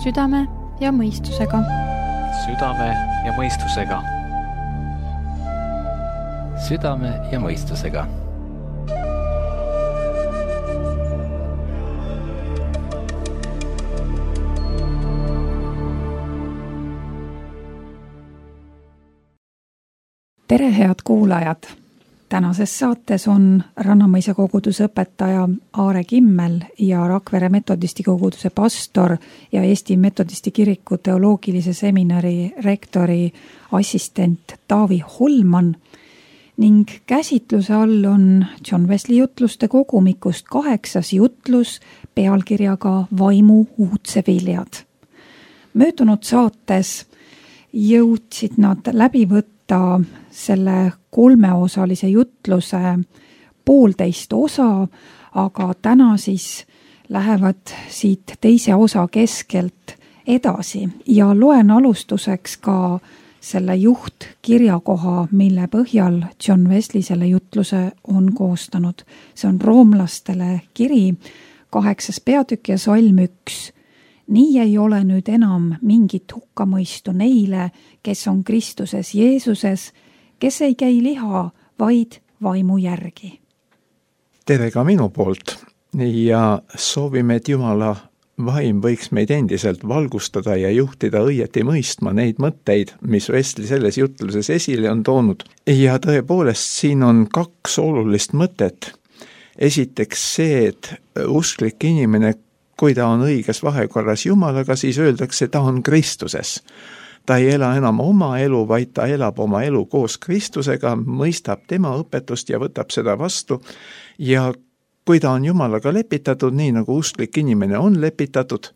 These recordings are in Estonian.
Südame ja mõistusega. Südame ja mõistusega. Südame ja mõistusega. Tere, head kuulajad! Tänases saates on Rannamõisa koguduse õpetaja Aare Kimmel ja Rakvere metodisti koguduse pastor ja Eesti metodisti kiriku teoloogilise seminari rektori assistent Taavi Holman ning käsitluse all on John Wesley jutluste kogumikust 8. jutlus pealkirjaga Vaimu uudseviljad. Möödunud saates jõudsid nad läbi võtta selle 3-osalise jutluse 1,5 osa, aga täna siis lähevad siit teise osa keskelt edasi ja loen alustuseks ka selle juhtkirjakoha, mille põhjal John Wesley selle jutluse on koostanud. See on roomlastele kiri, 8. peatükk ja salm 1. Nii ei ole nüüd enam mingit hukkamõistu neile, kes on Kristuses Jeesuses, kes ei käi liha, vaid vaimu järgi. Tere ka minu poolt ja soovime, et Jumala vaim võiks meid endiselt valgustada ja juhtida õieti mõistma neid mõtteid, mis Wesley selles jutluses esile on toonud. Ja tõepoolest siin on 2 olulist mõtet. Esiteks see, et usklik inimene, kui ta on õiges vahekorras Jumalaga, siis öeldakse, ta on Kristuses. Ta ei ela enam oma elu, vaid ta elab oma elu koos Kristusega, mõistab tema õpetust ja võtab seda vastu. Ja kui ta on Jumalaga lepitatud, nii nagu usklik inimene on lepitatud,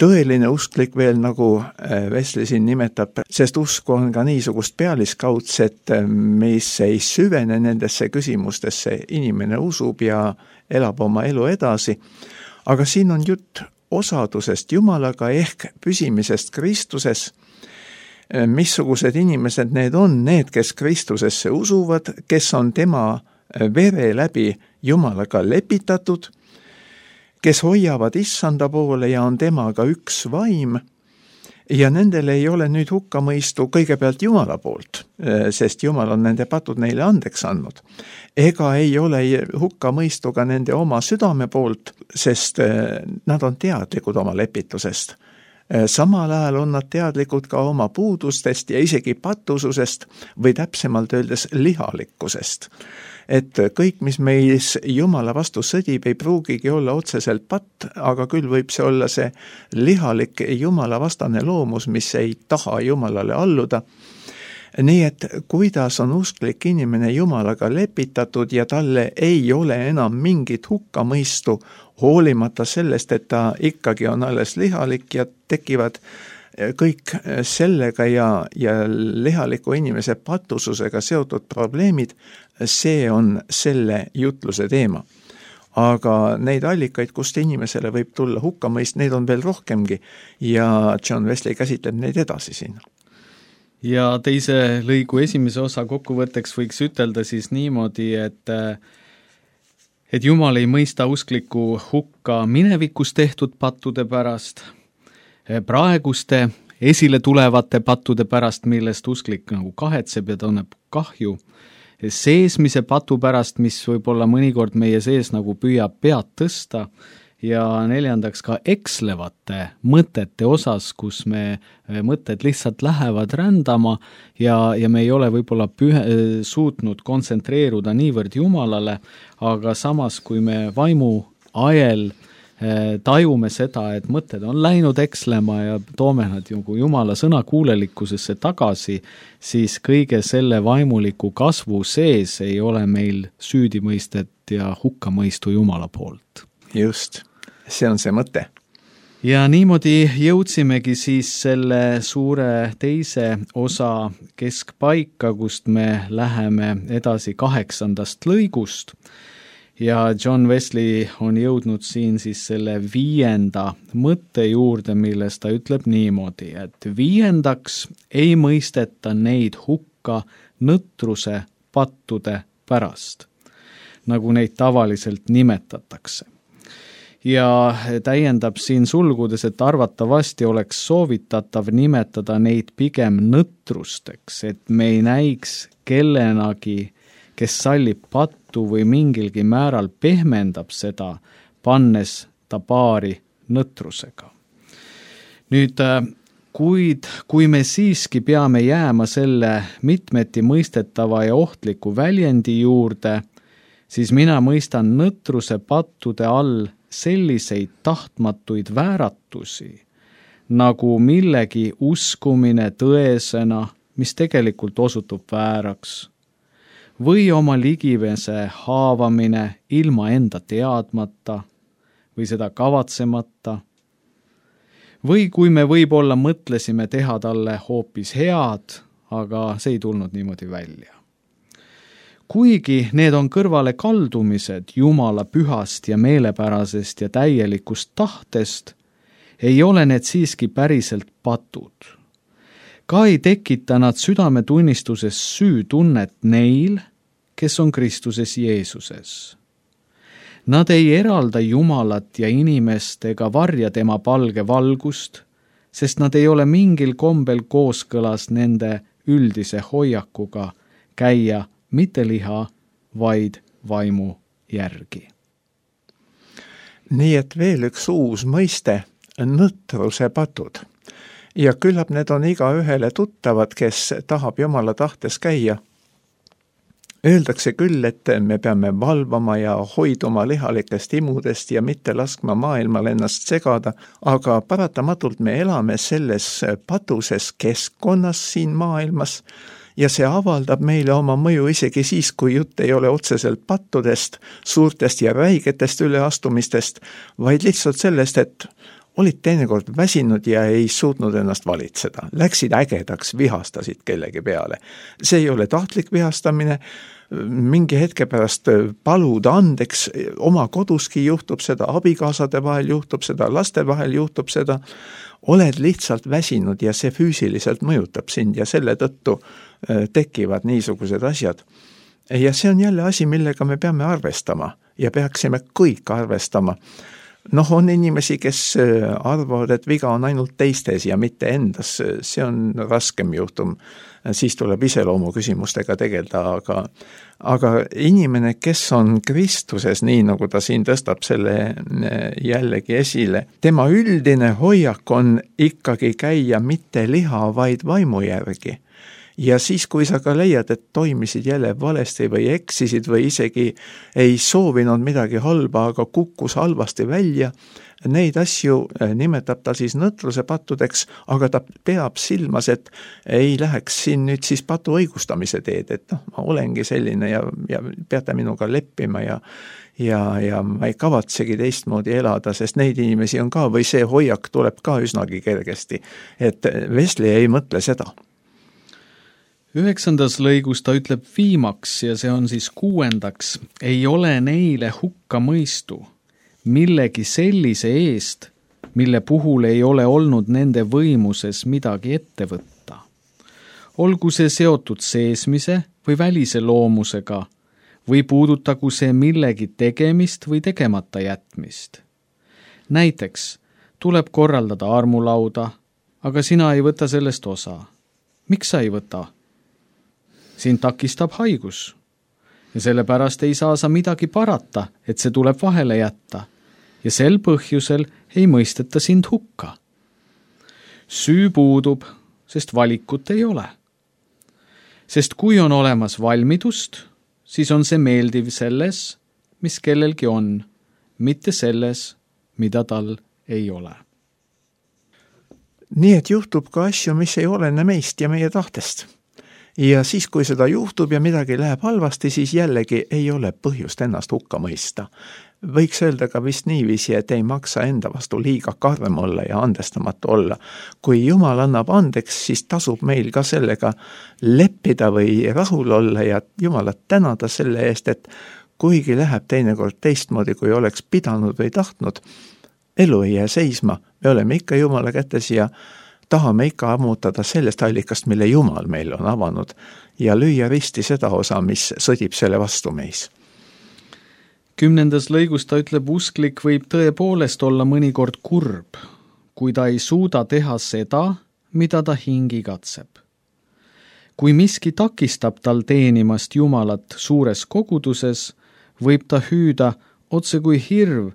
tõeline usklik veel, nagu Wesley siin nimetab, sest usku on ka niisugust pealiskaudset, mis ei süvene nendesse küsimustesse, inimene usub ja elab oma elu edasi. Aga siin on jutt osadusest Jumalaga ehk püsimisest Kristuses. Missugused inimesed need on, need, kes Kristusesse usuvad, kes on tema vere läbi Jumalaga lepitatud, kes hoiavad issanda poole ja on temaga üks vaim, ja nendel ei ole nüüd hukkamõistu kõigepealt Jumala poolt, sest Jumal on nende patud neile andeks andnud. Ega ei ole hukkamõistu ka nende oma südame poolt, sest nad on teadlikud oma lepitusest. Samal ajal on nad teadlikud ka oma puudustest ja isegi patususest või täpsemalt öeldes lihalikkusest. Et kõik, mis meis Jumala vastu sõdib, ei pruugigi olla otseselt patt, aga küll võib see olla see lihalik Jumala vastane loomus, mis ei taha Jumalale alluda. Nii et kuidas on usklik inimene Jumalaga lepitatud ja talle ei ole enam mingit hukkamõistu, hoolimata sellest, et ta ikkagi on alles lihalik ja tekivad kõik sellega ja lihaliku inimese patususega seotud probleemid, see on selle jutluse teema. Aga neid allikaid, kust inimesele võib tulla hukkamõist, neid on veel rohkemgi ja John Wesley käsitleb neid edasi siin. Ja teise lõigu esimese osa kokkuvõtteks võiks ütelda siis niimoodi, et Jumal ei mõista uskliku hukka minevikus tehtud pattude pärast, praeguste esile tulevate pattude pärast, millest usklik nagu kahetseb ja tunneb kahju, seesmise patu pärast, mis võib-olla mõnikord meie sees nagu püüab pead tõsta, ja 4. ka ekslevate mõtete osas, kus me mõtted lihtsalt lähevad rändama ja me ei ole võib-olla suutnud kontsentreeruda niivõrd Jumalale, aga samas, kui me vaimu ajel tajume seda, et mõtted on läinud ekslema ja toome nad Jumala sõnakuulelikkusesse tagasi, siis kõige selle vaimuliku kasvu sees ei ole meil süüdimõistet ja hukkamõistu Jumala poolt. Just, see on see mõte. Ja niimoodi jõudsimegi siis selle suure teise osa keskpaika, kust me läheme edasi 8. lõigust. Ja John Wesley on jõudnud siin siis selle 5. mõtte juurde, milles ta ütleb niimoodi, et 5. ei mõisteta neid hukka nõtruse pattude pärast, nagu neid tavaliselt nimetatakse. ja täiendab siin sulgudes, et arvatavasti oleks soovitatav nimetada neid pigem nõtrusteks, et me ei näiks kellenagi, kes sallib pattu või mingilgi määral pehmendab seda, pannes ta paari nõtrusega. Nüüd, kui me siiski peame jääma selle mitmeti mõistetava ja ohtliku väljendi juurde, siis mina mõistan nõtruse pattude all selliseid tahtmatuid vääratusi, nagu millegi uskumine tõesena, mis tegelikult osutub vääraks, või oma ligivese haavamine ilma enda teadmata või seda kavatsemata, või kui me võib-olla mõtlesime teha talle hoopis head, aga see ei tulnud niimoodi välja. Kuigi need on kõrvale kaldumised Jumala pühast ja meelepärasest ja täielikust tahtest, ei ole need siiski päriselt patud. Ka ei tekita nad südametunnistuses süütunnet neil, kes on Kristuses Jeesuses. Nad ei eralda Jumalat ja inimest ega varja tema palge valgust, sest nad ei ole mingil kombel kooskõlas nende üldise hoiakuga käia mitte liha, vaid vaimu järgi. Nii et veel üks uus mõiste, nõtruse patud. Ja küllap need on igaühele tuttavad, kes tahab Jumala tahtes käia. Öeldakse küll, et me peame valvama ja hoiduma lihalikest imudest ja mitte laskma maailmal ennast segada, aga paratamatult me elame selles patuses keskkonnas siin maailmas ja see avaldab meile oma mõju isegi siis, kui jutt ei ole otseselt pattudest, suurtest ja räigetest üleastumistest, vaid lihtsalt sellest, et olid teinekord väsinud ja ei suutnud ennast valitseda. Läksid ägedaks, vihastasid kellegi peale. See ei ole tahtlik vihastamine, mingi hetke pärast paluda andeks, oma koduski juhtub seda, abikaasade vahel juhtub seda, laste vahel juhtub seda, oled lihtsalt väsinud ja see füüsiliselt mõjutab sind ja selle tõttu tekivad niisugused asjad. Ja see on jälle asi, millega me peame arvestama ja peaksime kõik arvestama. On inimesi, kes arvavad, et viga on ainult teistes ja mitte endas, see on raskem juhtum, siis tuleb iseloomu küsimustega tegeleda, aga inimene, kes on Kristuses, nii nagu ta siin tõstab selle jällegi esile, tema üldine hoiak on ikkagi käia mitte liha, vaid vaimu järgi. Ja siis, kui sa ka leiad, et toimisid jälle valesti või eksisid või isegi ei soovinud midagi halba, aga kukkus halvasti välja, neid asju nimetab ta siis nõtruse pattudeks, aga ta peab silmas, et ei läheks siin nüüd siis patu õigustamise teed, et ma olengi selline ja peate minuga leppima ja ma ei kavatsegi teistmoodi elada, sest neid inimesi on ka või see hoiak tuleb ka üsnagi kergesti, et Wesley ei mõtle seda. 9. lõigus ta ütleb viimaks ja see on siis 6. ei ole neile hukka mõistu millegi sellise eest, mille puhul ei ole olnud nende võimuses midagi ette võtta. Olgu see seotud seesmise või välise loomusega või puudutagu see millegi tegemist või tegemata jätmist. Näiteks tuleb korraldada armulauda, aga sina ei võta sellest osa. Miks sa ei võta? Siin takistab haigus ja sellepärast ei saa sa midagi parata, et see tuleb vahele jätta ja sel põhjusel ei mõisteta sind hukka. Süü puudub, sest valikut ei ole. Sest kui on olemas valmidust, siis on see meeldiv selles, mis kellelgi on, mitte selles, mida tal ei ole. Nii et juhtub ka asju, mis ei olene meist ja meie tahtest. Ja siis, kui seda juhtub ja midagi läheb halvasti, siis jällegi ei ole põhjust ennast hukka mõista. Võiks öelda ka vist niiviisi, et ei maksa enda vastu liiga karm olla ja andestamatu olla. Kui Jumal annab andeks, siis tasub meil ka sellega leppida või rahul olla ja Jumalat tänada selle eest, et kuigi läheb teinekord teistmoodi, kui oleks pidanud või tahtnud, elu ei jää seisma, me oleme ikka Jumala kätes ja tahame ikka ammutada sellest allikast, mille Jumal meil on avanud ja lüüa risti seda osa, mis sõdib selle vastu meis. 10. lõigus ta ütleb, usklik võib tõepoolest olla mõnikord kurb, kui ta ei suuda teha seda, mida ta hing igatseb. Kui miski takistab tal teenimast Jumalat suures koguduses, võib ta hüüda otse kui hirv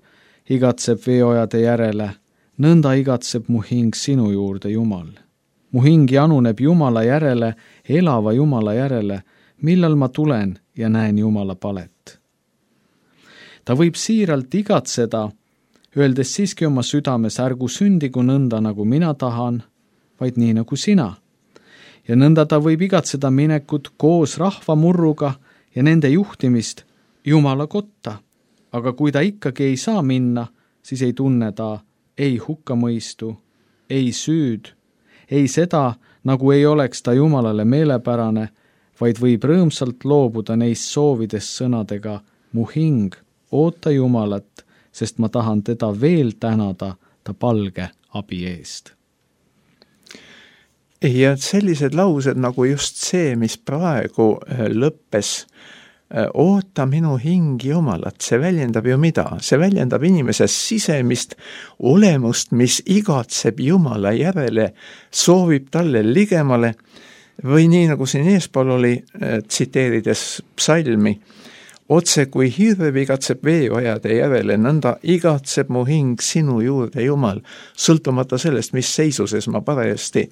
igatseb veeojade järele, nõnda igatseb mu hing sinu juurde, Jumal. Mu hing januneb Jumala järele, elava Jumala järele, millal ma tulen ja näen Jumala palet. Ta võib siiralt igatseda, öeldes siiski oma südames, ärgu sündigu nõnda, nagu mina tahan, vaid nii nagu sina. Ja nõnda ta võib igatseda minekut koos rahvamurruga ja nende juhtimist Jumala kotta. Aga kui ta ikkagi ei saa minna, siis ei tunne ta ei hukkamõistu, ei süüd, ei seda, nagu ei oleks ta Jumalale meelepärane, vaid võib rõõmsalt loobuda neist soovidest sõnadega, mu hing, oota Jumalat, sest ma tahan teda veel tänada ta palge abi eest. Ja sellised laused nagu just see, mis praegu lõppes, oota minu hing Jumalat, see väljendab ju mida? See väljendab inimese sisemist olemust, mis igatseb Jumala järele, soovib talle ligemale, või nii nagu siin eespool oli, tsiteerides psalmi, otse kui hirv igatseb veeojade järele, nõnda igatseb mu hing sinu juurde, Jumal, sõltumata sellest, mis seisuses ma parajasti,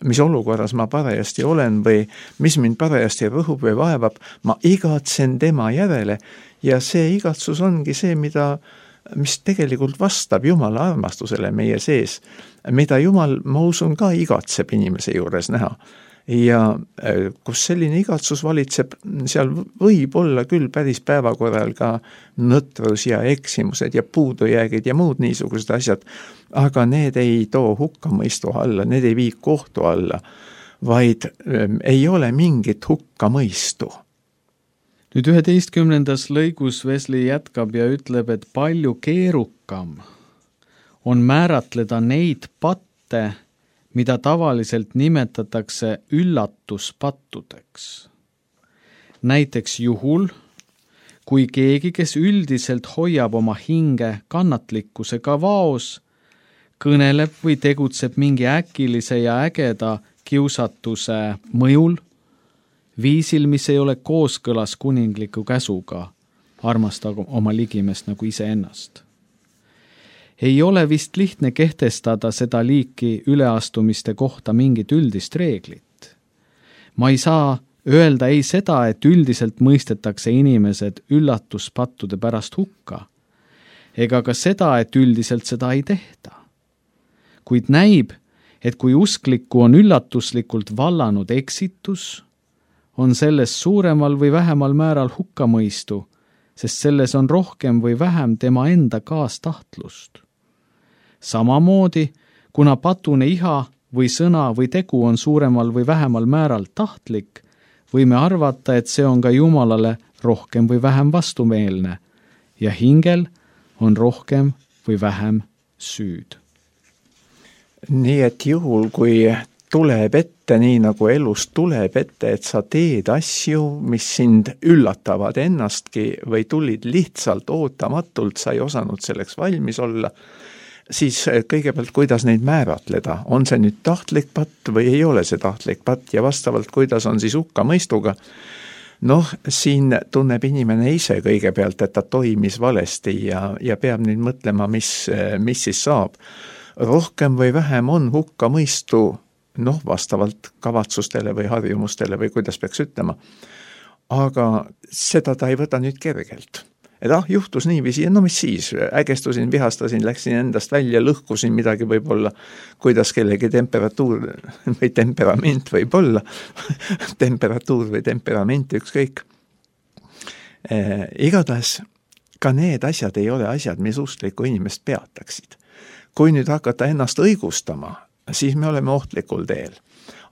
mis olukorras ma parajasti olen või mis mind parajasti rõhub või vaevab, ma igatsen tema järele ja see igatsus ongi see, mis tegelikult vastab Jumala armastusele meie sees, mida Jumal, ma usun, ka igatseb inimese juures näha. Ja kus selline igatsus valitseb, seal võib olla küll päris päevakorral ka nõtrus ja eksimused ja puudujäägid ja muud niisugused asjad, aga need ei too hukkamõistu alla, need ei vii kohtu alla, vaid ei ole mingit hukkamõistu. Nüüd 11. lõigus Wesley jätkab ja ütleb, et palju keerukam on määratleda neid patte, mida tavaliselt nimetatakse üllatuspattudeks. Näiteks juhul, kui keegi, kes üldiselt hoiab oma hinge kannatlikkusega vaos, kõneleb või tegutseb mingi äkilise ja ägeda kiusatuse mõjul, viisil, mis ei ole kooskõlas kuningliku käsuga, armastada oma ligimest nagu iseennast. Ei ole vist lihtne kehtestada seda liiki üleastumiste kohta mingit üldist reeglit. Ma ei saa öelda ei seda, et üldiselt mõistetakse inimesed üllatuspattude pärast hukka, ega ka seda, et üldiselt seda ei tehta. Kuid näib, et kui usklikku on üllatuslikult vallanud eksitus, on selles suuremal või vähemal määral hukkamõistu, sest selles on rohkem või vähem tema enda kaastahtlust. Samamoodi, kuna patune iha või sõna või tegu on suuremal või vähemal määral tahtlik, võime arvata, et see on ka Jumalale rohkem või vähem vastumeelne ja hingel on rohkem või vähem süüd. Nii et juhul, kui tuleb ette, nii nagu elus tuleb ette, et sa teed asju, mis sind üllatavad ennastki või tulid lihtsalt ootamatult, sa ei osanud selleks valmis olla, siis kõigepealt, kuidas neid määratleda, on see nüüd tahtlik patt või ei ole see tahtlik patt ja vastavalt, kuidas on siis hukkamõistuga. Siin tunneb inimene ise kõigepealt, et ta toimis valesti ja peab nüüd mõtlema, mis siis saab. Rohkem või vähem on hukkamõistu, vastavalt kavatsustele või harjumustele või kuidas peaks ütlema. Aga seda ta ei võta nüüd kergelt. Et juhtus niiviisi, ja mis siis, ägestusin, vihastasin, läksin endast välja, lõhkusin midagi võib-olla, kuidas kellegi temperatuur või temperament võib olla, temperatuur või temperament, ükskõik. Igatahes ka need asjad ei ole asjad, mis usklikku inimest peataksid. Kui nüüd hakata ennast õigustama, siis me oleme ohtlikul teel.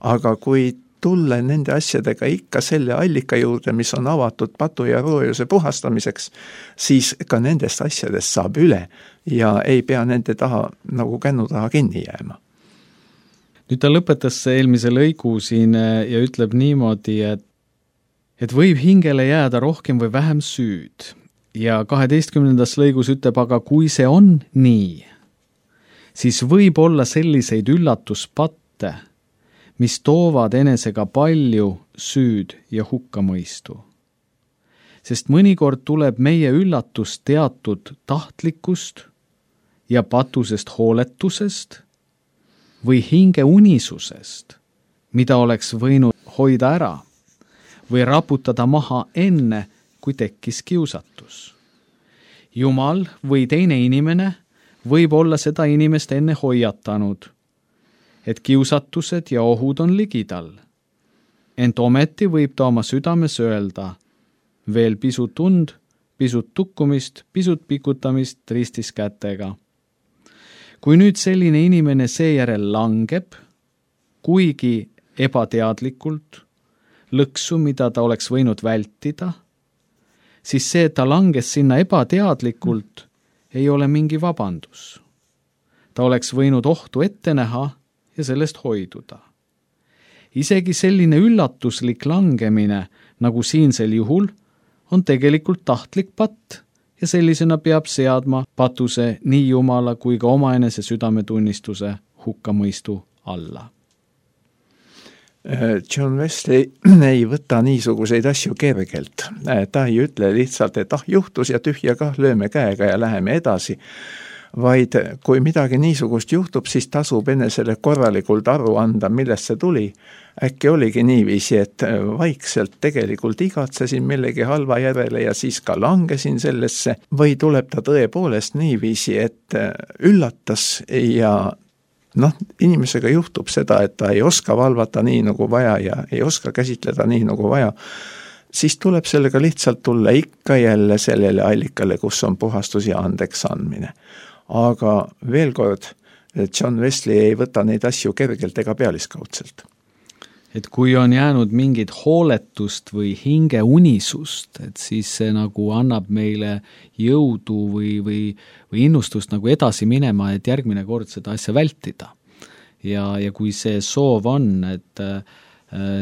Aga kui tulla nende asjadega ikka selle allika juurde, mis on avatud patu ja roojuse puhastamiseks, siis ka nendest asjadest saab üle ja ei pea nende taha nagu kännu taha kinni jääma. Nüüd ta lõpetas eelmise lõigu siin ja ütleb niimoodi, et võib hingele jääda rohkem või vähem süüd. ja 12. lõigus ütleb, aga kui see on nii, siis võib olla selliseid üllatuspatte, mis toovad enesega palju süüd ja hukkamõistu. Sest mõnikord tuleb meie üllatus teatud tahtlikust ja patusest hooletusest või hinge unisusest, mida oleks võinud hoida ära või raputada maha enne, kui tekkis kiusatus. Jumal või teine inimene võib olla seda inimest enne hoiatanud, et kiusatused ja ohud on ligidal. Ent ometi võib ta oma südames öelda, veel pisut und, pisut tukkumist, pisut pikutamist ristis kätega. Kui nüüd selline inimene seejärel langeb, kuigi ebateadlikult, lõksu, mida ta oleks võinud vältida, siis see, et ta langes sinna ebateadlikult, ei ole mingi vabandus. Ta oleks võinud ohtu ette näha ja sellest hoiduda. Isegi selline üllatuslik langemine, nagu siinsel juhul, on tegelikult tahtlik patt ja sellisena peab seadma patuse nii Jumala kui ka omaenese südametunnistuse hukkamõistu alla. John Wesley ei võta niisuguseid asju kergelt. Ta ei ütle lihtsalt, et juhtus ja tühja kah, lööme käega ja läheme edasi, vaid kui midagi niisugust juhtub, siis tasub enesele korralikult aru anda, millest see tuli. Äkki oligi niiviisi, et vaikselt tegelikult igatsesin millegi halva järele ja siis ka langesin sellesse, või tuleb ta tõepoolest niiviisi, et üllatas ja inimesega juhtub seda, et ta ei oska valvata nii nagu vaja ja ei oska käsitleda nii nagu vaja, siis tuleb sellega lihtsalt tulla ikka jälle sellele allikale, kus on puhastus ja andeks andmine. Aga veel kord, John Wesley ei võta neid asju kergelt ega pealiskaudselt. Et kui on jäänud mingit hooletust või hinge unisust, et siis see nagu annab meile jõudu või innustust nagu edasi minema, et järgmine kord seda asja vältida. Ja kui see soov on, et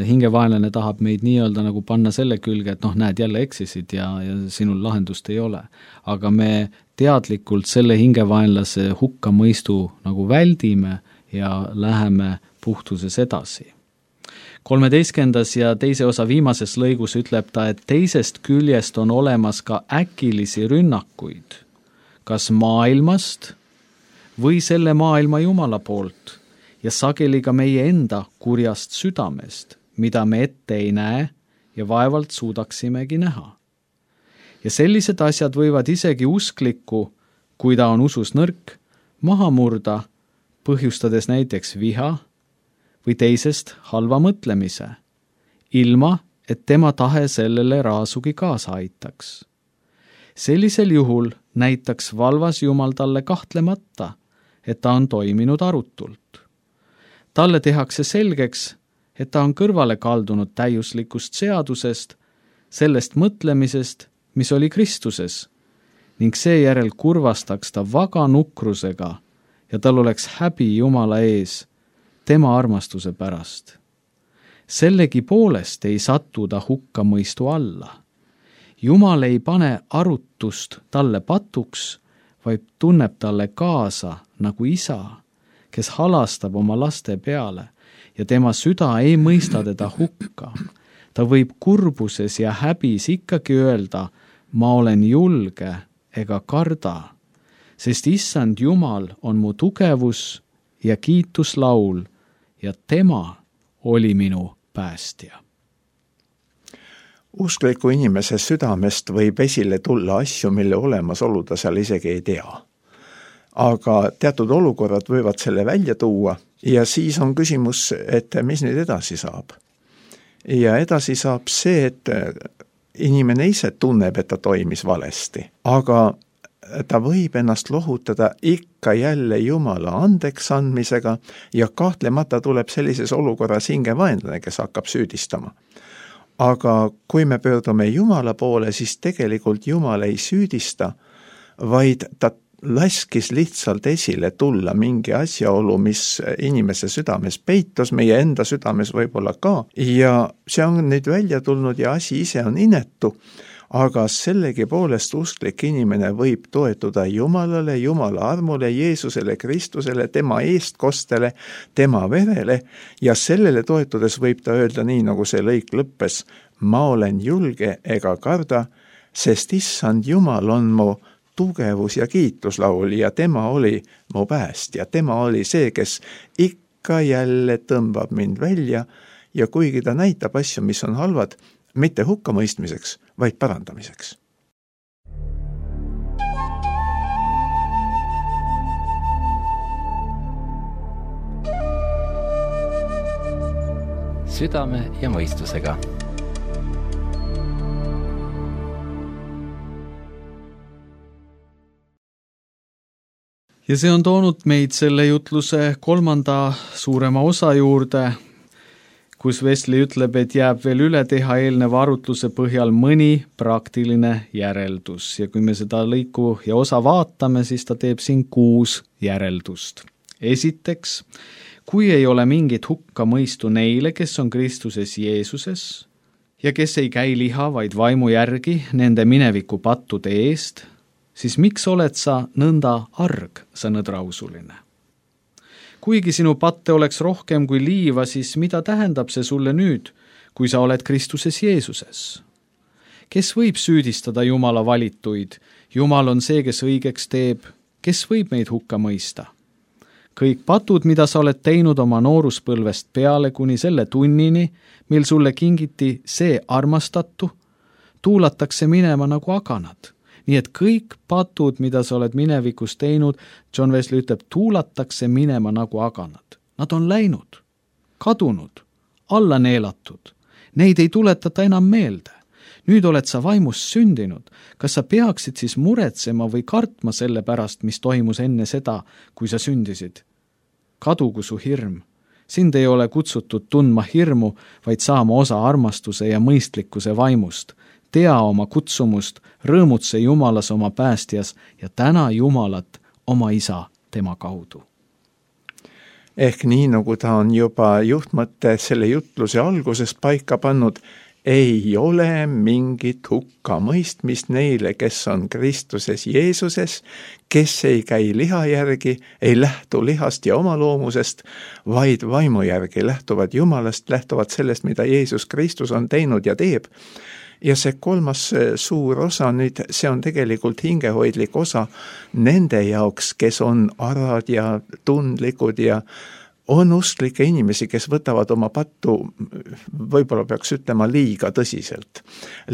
hingevaenlane tahab meid nii-öelda nagu panna selle külge, et näed, jälle eksisid ja sinul lahendust ei ole. Aga me teadlikult selle hingevaenlase hukkamõistu nagu väldime ja läheme puhtuses edasi. 13. ja teise osa viimases lõigus ütleb ta, et teisest küljest on olemas ka äkilisi rünnakuid, kas maailmast või selle maailma Jumala poolt ja sageli ka meie enda kurjast südamest, mida me ette ei näe ja vaevalt suudaksimegi näha. Ja sellised asjad võivad isegi usklikku, kui ta on usus nõrk, maha murda, põhjustades näiteks viha või teisest halva mõtlemise, ilma et tema tahe sellele raasugi kaasa aitaks. Sellisel juhul näitaks valvas Jumal talle kahtlemata, et ta on toiminud arutult. Talle tehakse selgeks, et ta on kõrvale kaldunud täiuslikust seadusest, sellest mõtlemisest, mis oli Kristuses, ning seejärel kurvastaks ta vaga nukrusega ja tal oleks häbi Jumala ees, tema armastuse pärast. Sellegi poolest ei satu ta hukkamõistu alla. Jumal ei pane arutust talle patuks, vaid tunneb talle kaasa nagu isa, kes halastab oma laste peale ja tema süda ei mõista teda hukka. Ta võib kurbuses ja häbis ikkagi öelda, ma olen julge ega karda, sest issand Jumal on mu tugevus ja kiituslaul ja tema oli minu päästja. Uskliku inimese südamest võib esile tulla asju, mille olemasolu ta seal isegi ei tea. Aga teatud olukorrad võivad selle välja tuua ja siis on küsimus, et mis nüüd edasi saab. Ja edasi saab see, et inimene ise tunneb, et ta toimis valesti, aga ta võib ennast lohutada ikka jälle Jumala andeks andmisega ja kahtlemata tuleb sellises olukorras hingevaenlane, kes hakkab süüdistama. Aga kui me pöördume Jumala poole, siis tegelikult Jumal ei süüdista, vaid ta laskis lihtsalt esile tulla mingi asjaolu, mis inimese südames peitus, meie enda südames võib-olla ka, ja see on nüüd välja tulnud ja asi ise on inetu, aga sellegipoolest usklik inimene võib toetuda Jumalale, Jumala armule, Jeesusele, Kristusele, tema eestkostele, tema verele ja sellele toetudes võib ta öelda nii, nagu see lõik lõppes, ma olen julge ega karda, sest issand Jumal on mu tugevus ja kiituslaul ja tema oli mu päästja, tema oli see, kes ikka jälle tõmbab mind välja ja kuigi ta näitab asju, mis on halvad, mitte hukkamõistmiseks, vaid parandamiseks. Südame ja mõistusega. Ja see on toonud meid selle jutluse 3. suurema osa juurde, kus Wesley ütleb, et jääb veel üle teha eelneva arutluse põhjal mõni praktiline järeldus. Ja kui me seda lõiku ja osa vaatame, siis ta teeb siin 6 järeldust. Esiteks, kui ei ole mingit hukkamõistu neile, kes on Kristuses Jeesuses ja kes ei käi liha, vaid vaimu järgi nende mineviku pattude eest, siis miks oled sa nõnda arg, sa nõdrausuline? Kuigi sinu patte oleks rohkem kui liiva, siis mida tähendab see sulle nüüd, kui sa oled Kristuses Jeesuses? Kes võib süüdistada Jumala valituid? Jumal on see, kes õigeks teeb. Kes võib meid hukka mõista? Kõik patud, mida sa oled teinud oma nooruspõlvest peale kuni selle tunnini, mil sulle kingiti see armastatu, tuulatakse minema nagu aganad. Nii et kõik patud, mida sa oled minevikus teinud, John Wesley ütleb, tuulatakse minema nagu aganad. Nad on läinud, kadunud, alla neelatud. Neid ei tuletata enam meelde. Nüüd oled sa vaimust sündinud. Kas sa peaksid siis muretsema või kartma selle pärast, mis toimus enne seda, kui sa sündisid? Kadugu su hirm. Sind ei ole kutsutud tundma hirmu, vaid saama osa armastuse ja mõistlikkuse vaimust. Tea oma kutsumust, rõõmutse Jumalas oma päästjas ja täna Jumalat oma isa tema kaudu. Ehk nii, nagu ta on juba juhtmõtte selle jutluse alguses paika pannud, ei ole mingit hukkamõistmist neile, kes on Kristuses Jeesuses, kes ei käi liha järgi, ei lähtu lihast ja oma loomusest, vaid vaimu järgi lähtuvad Jumalast, lähtuvad sellest, mida Jeesus Kristus on teinud ja teeb. Ja see 3. suur osa nüüd, see on tegelikult hingehoidlik osa nende jaoks, kes on arad ja tundlikud ja on usklikke inimesi, kes võtavad oma pattu, võib-olla peaks ütlema, liiga tõsiselt.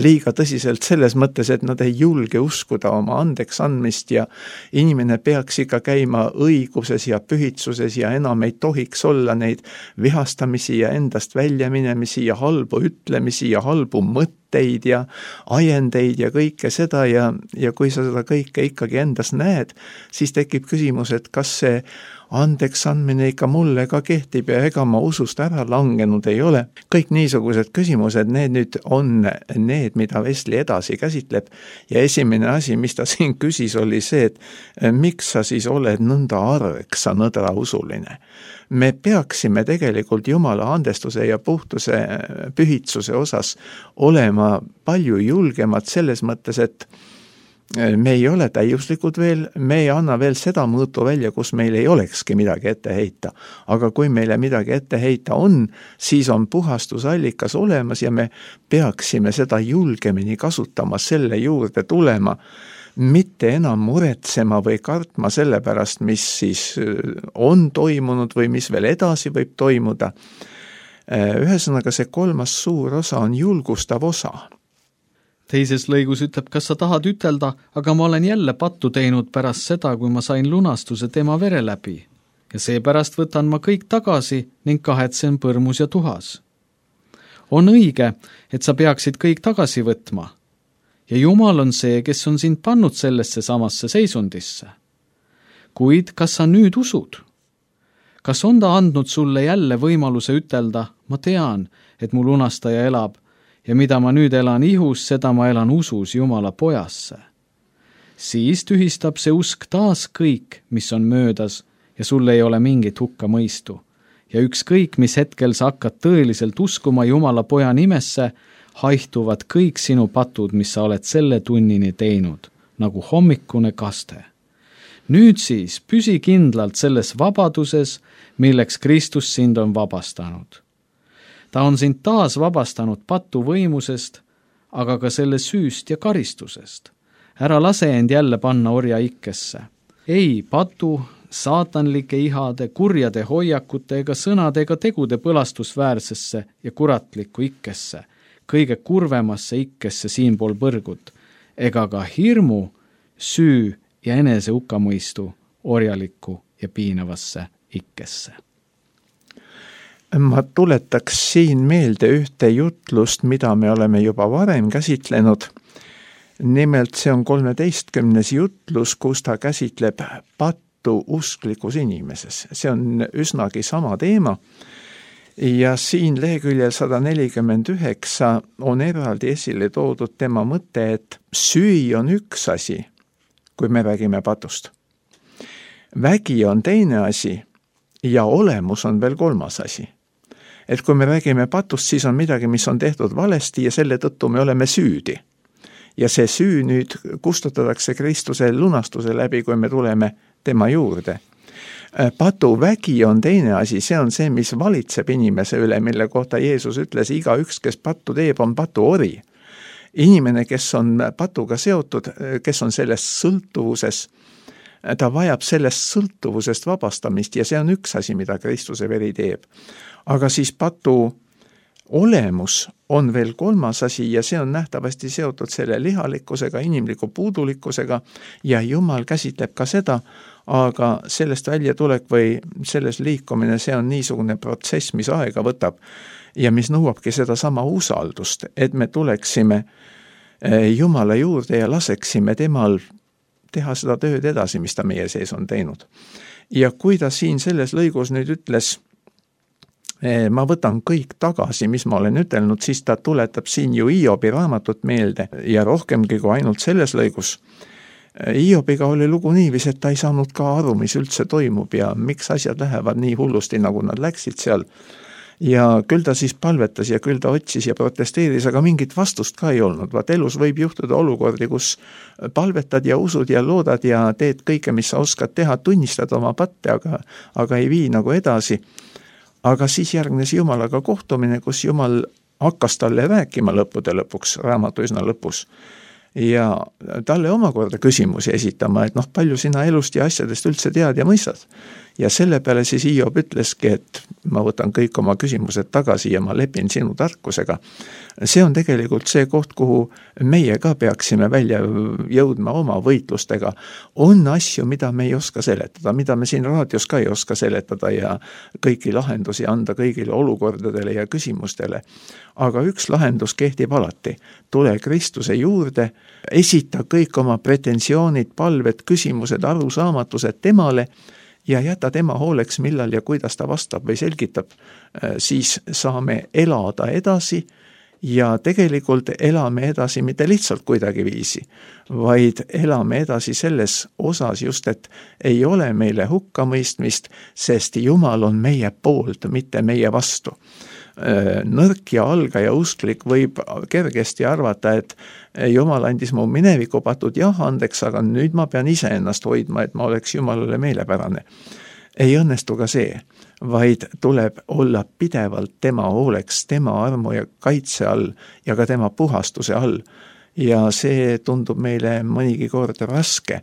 Liiga tõsiselt selles mõttes, et nad ei julge uskuda oma andeks andmist ja inimene peaks ikka käima õiguses ja pühitsuses ja enam ei tohiks olla neid vihastamisi ja endast väljaminemisi ja halbu ütlemisi ja halbu mõtteid ja ajendeid ja kõike seda ja kui sa seda kõike ikkagi endas näed, siis tekib küsimus, et kas see andeks andmine ikka mulle ka kehtib ja ega ma usust ära langenud ei ole. Kõik niisugused küsimused, need nüüd on need, mida Wesley edasi käsitleb ja esimene asi, mis ta siin küsis, oli see, et miks sa siis oled nõnda arg, sa nõdrausuline. Me peaksime tegelikult Jumala andestuse ja puhtuse pühitsuse osas olema palju julgemad selles mõttes, et me ei ole täiuslikud veel, me ei anna veel seda mõõtu välja, kus meil ei olekski midagi ette heita. Aga kui meile midagi ette heita on, siis on puhastusallikas olemas ja me peaksime seda julgemini kasutama, selle juurde tulema, mitte enam muretsema või kartma selle pärast, mis siis on toimunud või mis veel edasi võib toimuda. Ühesõnaga see 3. suur osa on julgustav osa. Teises lõigus ütleb, kas sa tahad ütelda, aga ma olen jälle pattu teinud pärast seda, kui ma sain lunastuse tema vere läbi. Ja seepärast võtan ma kõik tagasi ning kahetsen põrmus ja tuhas. On õige, et sa peaksid kõik tagasi võtma. Ja Jumal on see, kes on sind pannud sellesse samasse seisundisse. Kuid kas sa nüüd usud? Kas on ta andnud sulle jälle võimaluse ütelda, ma tean, et mu lunastaja elab, ja mida ma nüüd elan ihus, seda ma elan usus Jumala pojasse. Siis tühistab see usk taas kõik, mis on möödas ja sul ei ole mingit hukkamõistu. Ja ükskõik, mis hetkel sa hakkad tõeliselt uskuma Jumala poja nimesse, haihtuvad kõik sinu patud, mis sa oled selle tunnini teinud, nagu hommikune kaste. Nüüd siis püsi kindlalt selles vabaduses, milleks Kristus sind on vabastanud. Ta on sind taas vabastanud patu võimusest, aga ka selle süüst ja karistusest. Ära lase end jälle panna orja ikkesse. Ei patu, saatanlike ihade, kurjade hoiakute ega sõnade ega tegude põlastusväärsesse ja kuratlikku ikkesse, kõige kurvemasse ikkesse siinpool põrgut, ega ka hirmu, süü ja enese hukkamõistu orjalikku ja piinavasse ikkesse. Ma tuletaks siin meelde ühte jutlust, mida me oleme juba varem käsitlenud. Nimelt see on 13. jutlus, kus ta käsitleb pattu usklikus inimeses. See on üsnagi sama teema. Ja siin leheküljel 149 on eraldi esile toodud tema mõte, et süü on üks asi, kui me räägime patust. Vägi on teine asi ja olemus on veel kolmas asi. Et kui me räägime patust, siis on midagi, mis on tehtud valesti ja selle tõttu me oleme süüdi. Ja see süü nüüd kustutatakse Kristuse lunastuse läbi, kui me tuleme tema juurde. Patu vägi on teine asi, see on see, mis valitseb inimese üle, mille kohta Jeesus ütles, igaüks, kes pattu teeb, on patu ori. Inimene, kes on patuga seotud, kes on selles sõltuvuses, ta vajab sellest sõltuvusest vabastamist ja see on üks asi, mida Kristuse veri teeb. Aga siis patu olemus on veel kolmas asi ja see on nähtavasti seotud selle lihalikkusega, inimliku puudulikkusega ja Jumal käsitleb ka seda, aga sellest väljatulek või selles liikumine, see on niisugune protsess, mis aega võtab ja mis nõuabki seda sama usaldust, et me tuleksime Jumala juurde ja laseksime temal teha seda tööd edasi, mis ta meie sees on teinud. Ja kui ta siin selles lõigus nüüd ütles, ma võtan kõik tagasi, mis ma olen ütelnud, siis ta tuletab siin ju Hiobi raamatut meelde ja rohkemgi kui ainult selles lõigus. Hiobiga oli lugu niivis, et ta ei saanud ka aru, mis üldse toimub ja miks asjad lähevad nii hullusti, nagu nad läksid seal. Ja küll ta siis palvetas ja küll ta otsis ja protesteeris, aga mingit vastust ka ei olnud. Vaat elus võib juhtuda olukordi, kus palvetad ja usud ja loodad ja teed kõike, mis sa oskad teha, tunnistad oma patte, aga ei vii nagu edasi. Aga siis järgnes Jumalaga kohtumine, kus Jumal hakkas talle rääkima lõppude lõpuks, raamatu üsna lõpus. Ja talle omakorda küsimusi esitama, et palju sina elust ja asjadest üldse tead ja mõistad. Ja selle peale siis Hiob ütleski, et ma võtan kõik oma küsimused tagasi ja ma lepin sinu tarkusega. See on tegelikult see koht, kuhu meie ka peaksime välja jõudma oma võitlustega. On asju, mida me ei oska seletada, mida me siin raadios ka ei oska seletada ja kõiki lahendusi anda kõigile olukordadele ja küsimustele. Aga üks lahendus kehtib alati. Tule Kristuse juurde, esita kõik oma pretensioonid, palved, küsimused, arusaamatused temale ja jäta tema hooleks, millal ja kuidas ta vastab või selgitab, siis saame elada edasi ja tegelikult elame edasi mitte lihtsalt kuidagi viisi, vaid elame edasi selles osas just, et ei ole meile hukkamõistmist, sest Jumal on meie poolt, mitte meie vastu. Nõrk ja algaja usklik võib kergesti arvata, et Jumal andis mu minevikupatud jah andeks, aga nüüd ma pean ise ennast hoidma, et ma oleks Jumalale meelepärane. Ei õnnestu ka see, vaid tuleb olla pidevalt tema hooleks, tema armu ja kaitse all ja ka tema puhastuse all. Ja see tundub meile mõnigi kord raske,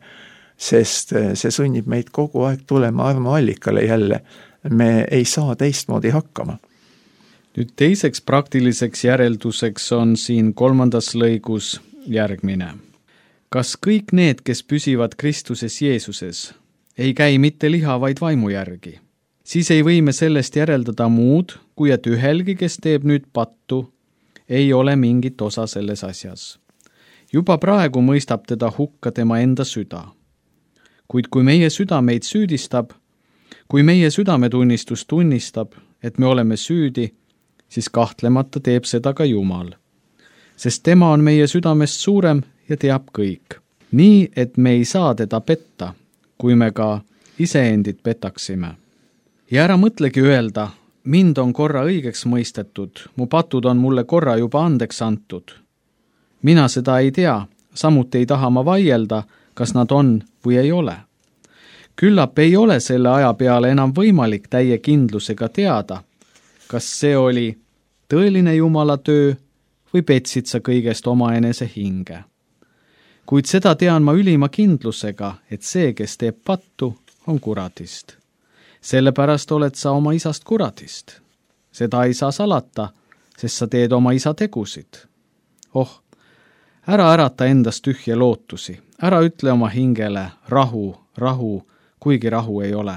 sest see sunnib meid kogu aeg tulema armuallikale jälle. Me ei saa teistmoodi hakkama. Nüüd teiseks praktiliseks järelduseks on siin 3. lõigus järgmine. Kas kõik need, kes püsivad Kristuses Jeesuses, ei käi mitte liha, vaid vaimu järgi? Siis ei või me sellest järeldada muud, kui et ühelgi, kes teeb nüüd pattu, ei ole mingit osa selles asjas. Juba praegu mõistab teda hukka tema enda süda. Kuid kui meie süda meid süüdistab, kui meie südametunnistus tunnistab, et me oleme süüdi, siis kahtlemata teeb seda ka Jumal. Sest tema on meie südamest suurem ja teab kõik. Nii, et me ei saa teda petta, kui me ka iseendid petaksime. Ja ära mõtlegi öelda, mind on korra õigeks mõistetud, mu patud on mulle korra juba andeks antud. Mina seda ei tea, samuti ei taha ma vaielda, kas nad on või ei ole. Küllap ei ole selle aja peale enam võimalik täie kindlusega teada, kas see oli tõeline Jumala töö või petsid sa kõigest omaenese hinge. Kuid seda tean ma ülima kindlusega, et see, kes teeb pattu, on kuradist. Sellepärast oled sa oma isast kuradist. Seda ei saa salata, sest sa teed oma isa tegusid. Ära ärata endast tühje lootusi, ära ütle oma hingele rahu, rahu, kuigi rahu ei ole.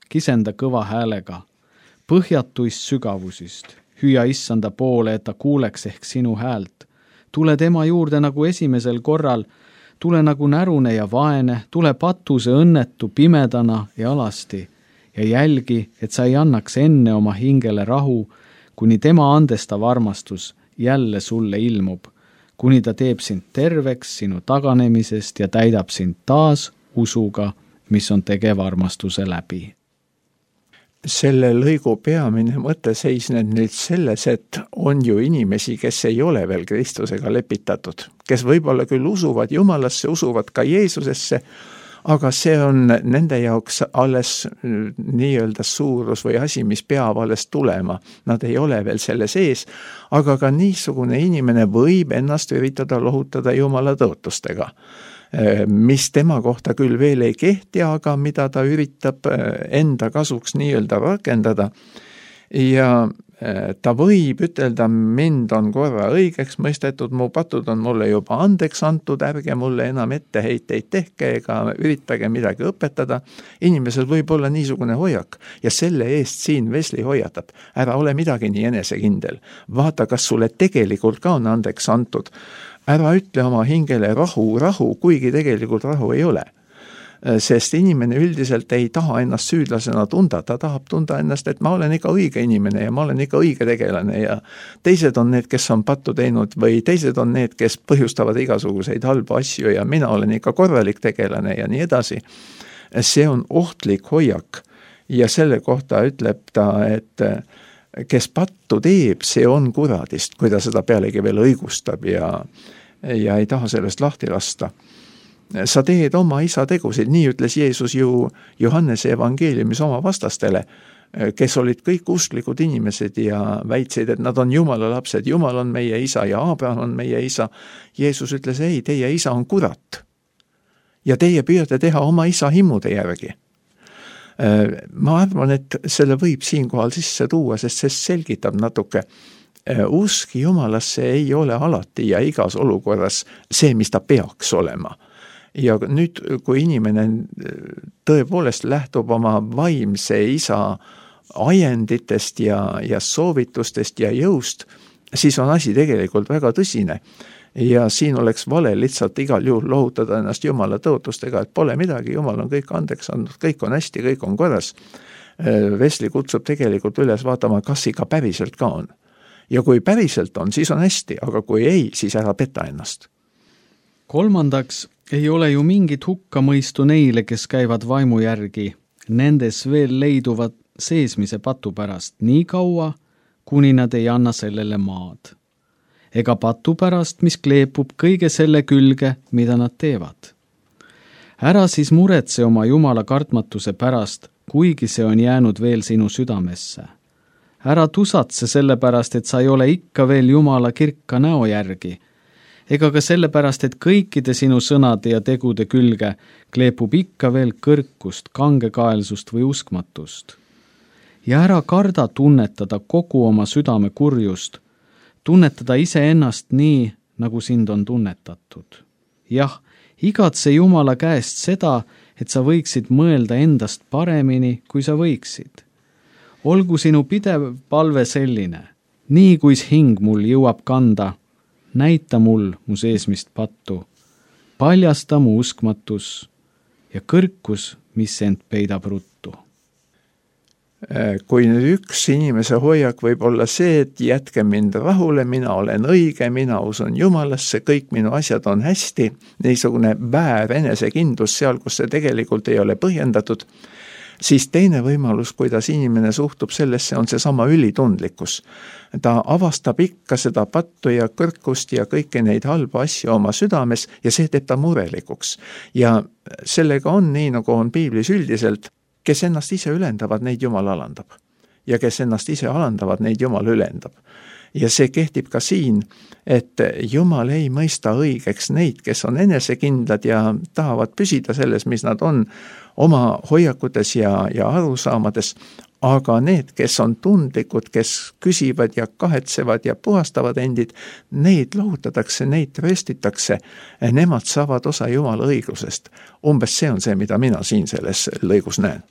Kisenda kõva häälega, põhjatuist sügavusist, hüüa issanda poole, et ta kuuleks ehk sinu häält. Tule tema juurde nagu esimesel korral, tule nagu närune ja vaene, tule patuse õnnetu pimedana ja alasti ja jälgi, et sa ei annaks enne oma hingele rahu, kuni tema andestav armastus jälle sulle ilmub, kuni ta teeb sind terveks sinu taganemisest ja täidab sind taas usuga, mis on tegev armastuse läbi. Selle lõigu peamine mõte seisneb nüüd selles, et on ju inimesi, kes ei ole veel Kristusega lepitatud, kes võib-olla küll usuvad Jumalasse, usuvad ka Jeesusesse, aga see on nende jaoks alles nii-öelda suurus või asi, mis peab alles tulema. Nad ei ole veel selle sees, aga ka niisugune inimene võib ennast üritada lohutada Jumala tõotustega, mis tema kohta küll veel ei kehti, aga mida ta üritab enda kasuks nii-öelda rakendada. Ja ta võib ütelda, mind on korra õigeks mõistetud, mu patud on mulle juba andeks antud, ärge mulle enam etteheiteid tehke ega üritage midagi õpetada. Inimesel võib olla niisugune hoiak ja selle eest siin Wesley hoiatab. Ära ole midagi nii enesekindel. Vaata, kas sulle tegelikult ka on andeks antud. Ära ütle oma hingele rahu, rahu, kuigi tegelikult rahu ei ole. Sest inimene üldiselt ei taha ennast süüdlasena tunda, ta tahab tunda ennast, et ma olen ikka õige inimene ja ma olen ikka õige tegelane ja teised on need, kes on pattu teinud või teised on need, kes põhjustavad igasuguseid halbu asju ja mina olen ikka korralik tegelane ja nii edasi. See on ohtlik hoiak ja selle kohta ütleb ta, et kes pattu teeb, see on kuradist, kui ta seda pealegi veel õigustab ja ei taha sellest lahti lasta. Sa teed oma isa tegusid, nii ütles Jeesus ju Johannese evangeeliumis oma vastastele, kes olid kõik usklikud inimesed ja väitsid, et nad on Jumala lapsed, Jumal on meie isa ja Abraham on meie isa. Jeesus ütles, ei, teie isa on kurat ja teie püüate teha oma isa himmude järgi. Ma arvan, et selle võib siinkohal sisse tuua, sest see selgitab natuke. Usk Jumalasse ei ole alati ja igas olukorras see, mis ta peaks olema. Ja nüüd, kui inimene tõepoolest lähtub oma vaimse isa ajenditest ja soovitustest ja jõust, siis on asi tegelikult väga tõsine. Ja siin oleks vale lihtsalt igal juhul lohutada ennast Jumala tõotustega, et pole midagi, Jumal on kõik andeks andnud, kõik on hästi, kõik on korras. Wesley kutsub tegelikult üles vaatama, kas ikka päriselt ka on. Ja kui päriselt on, siis on hästi, aga kui ei, siis ära peta ennast. Kolmandaks, ei ole ju mingit hukkamõistu neile, kes käivad vaimu järgi, nendes veel leiduvad seesmise patu pärast nii kaua, kuni nad ei anna sellele maad. Ega patu pärast, mis kleepub kõige selle külge, mida nad teevad. Ära siis muretse oma Jumala kartmatuse pärast, kuigi see on jäänud veel sinu südamesse. Ära tusatse selle pärast, et sa ei ole ikka veel Jumala kirka näo järgi, ega ka selle pärast, et kõikide sinu sõnade ja tegude külge kleepub ikka veel kõrkust, kangekaelsust või uskmatust. Ja ära karda tunnetada kogu oma südame kurjust, tunnetada iseennast nii, nagu sind on tunnetatud. Jah, igatse Jumala käest seda, et sa võiksid mõelda endast paremini, kui sa võiksid. Olgu sinu pidev palve selline, nii kuis hing mul jõuab kanda, näita mul mu seesmist pattu, paljasta mu uskmatus ja kõrkus, mis end peidab ruttu. Kui nüüd üks inimese hoiak võib olla see, et jätke mind rahule, mina olen õige, mina usun Jumalasse, kõik minu asjad on hästi, niisugune väär enesekindlus seal, kus see tegelikult ei ole põhjendatud, siis teine võimalus, kuidas inimene suhtub sellesse, on seesama ülitundlikkus. Ta avastab ikka seda pattu ja kõrkust ja kõiki neid halba asju oma südames ja see teeb ta murelikuks. Ja sellega on nii, nagu on piiblis üldiselt, kes ennast ise ülendavad, neid Jumal alandab. Ja kes ennast ise alandavad, neid Jumal ülendab. Ja see kehtib ka siin, et Jumal ei mõista õigeks neid, kes on enesekindlad ja tahavad püsida selles, mis nad on, oma hoiakutes ja arusaamades, aga need, kes on tundlikud, kes küsivad ja kahetsevad ja puhastavad endid, neid lohutatakse, neid tröstitakse, nemad saavad osa Jumala õiglusest. Umbes see on see, mida mina siin selles lõigus näen.